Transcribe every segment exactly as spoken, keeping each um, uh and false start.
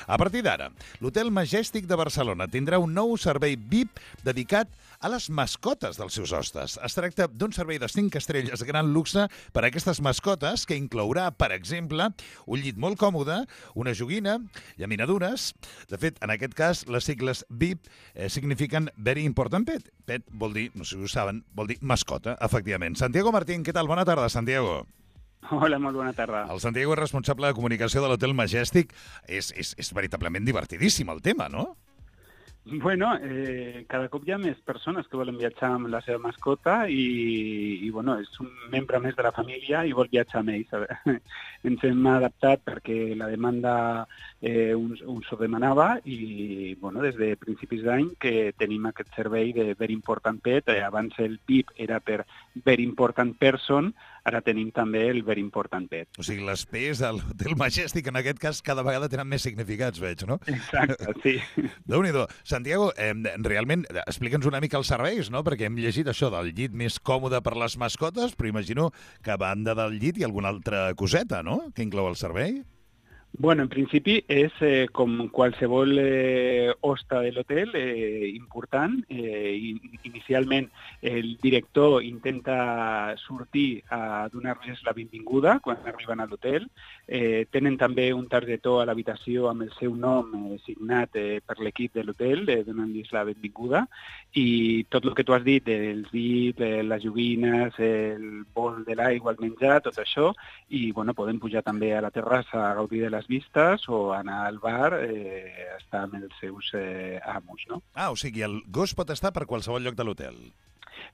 A partir d'ara, l'Hotel Majestic de Barcelona tindrà un nou servei V I P dedicat a les mascotes dels seus hostes. Es tracta d'un servei de cinc estrelles de gran luxe per a aquestes mascotes que inclourà, per exemple, un llit molt còmode, una joguina, llaminadures. De fet, en aquest cas, les sigles V I P eh, signifiquen Very Important Pet. Pet vol dir, no sé si ho saben, vol dir mascota, efectivament. Santiago Martín, què tal? Bona tarda, Santiago. Hola, molt bona tarda. El Santiago és responsable de comunicació de l'Hotel Majestic. És, és, és veritablement divertidíssim el tema, no? Bueno, eh, cada cop hi ha més persones que volen viatjar amb la seva mascota i, i bueno, és un membre més de la família i vol viatjar amb ells. Ens hem adaptat perquè la demanda eh, uns, uns ho demanava i bueno, des de principis d'any que tenim aquest servei de Very Important Pet. Eh, abans el V I P era per Very Important Person, ara tenim també el Very Important Pet. O sigui, les P's de l'Hotel Majestic en aquest cas cada vegada tenen més significats, veig, no? Exacte, sí. Déu-n'hi-do. Santiago, eh, realment, explica'ns una mica els serveis, no? Perquè hem llegit això del llit més còmode per les mascotes, però imagino que a banda del llit hi ha alguna altra coseta, no?, que inclou el servei. Bueno, en principi és eh, com qualsevol eh, hoste de l'hotel eh, important. Eh, inicialment el director intenta sortir a donar-los la benvinguda quan arriben a l'hotel. Eh, tenen també un targetó a l'habitació amb el seu nom eh, signat eh, per l'equip de l'hotel, eh, donant-los la benvinguda. I tot el que tu has dit, els dits, eh, les joguines, el bol de l'aigua, el menjar, tot això. I bueno, podem pujar també a la terrassa a gaudir de les vistes o anar al bar eh, a estar amb els seus eh, amos, no? Ah, o sigui, el gos pot estar per qualsevol lloc de l'hotel.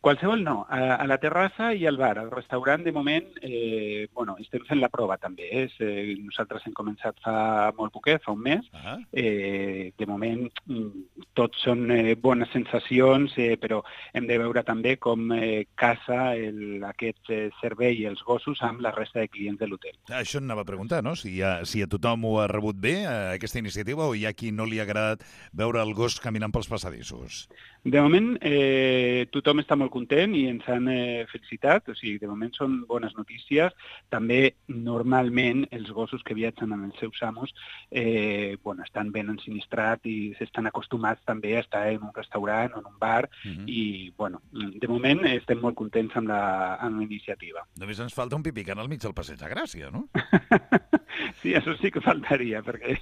Qualsevol no, a, a la terrassa i al bar. Al restaurant, de moment, eh, bueno, estem fent la prova també. Eh? Eh, nosaltres hem començat fa molt poquet, fa un mes. Uh-huh. eh, de moment, tot són eh, bones sensacions, eh, però hem de veure també com eh, casa el, aquest eh, servei i els gossos amb la resta de clients de l'hotel. Ah, això anava a preguntar, no? Si, ha, si a tothom ho ha rebut bé, eh, aquesta iniciativa, o hi ha qui no li ha agradat veure el gos caminant pels passadissos? De moment, eh, tothom està molt content i ens han eh, felicitat, o sigui, de moment són bones notícies. També, normalment, els gossos que viatgen amb els seus amos eh, bueno, estan ben ensinistrats i s'estan acostumats també a estar en un restaurant o en un bar. Uh-huh. I, bueno, de moment estem molt contents amb la, amb la iniciativa. Només ens falta un pipicant al mig del Passeig de Gràcia, no? Sí, això sí que faltaria, perquè...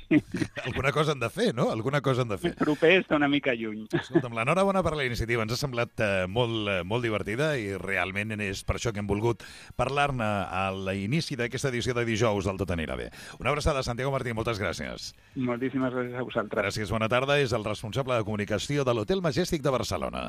Alguna cosa han de fer, no? Alguna cosa han de fer. El proper està una mica lluny. Escolta'm, l'enhorabona per la iniciativa. Ens ha semblat eh, molt, eh, molt divertida i realment és per això que hem volgut parlar-ne a l'inici d'aquesta edició de dijous del Tot anirà bé. Una abraçada, Santiago Martín, moltes gràcies. Moltíssimes gràcies a vosaltres. Gràcies, bona tarda. És el responsable de comunicació de l'Hotel Majestic de Barcelona.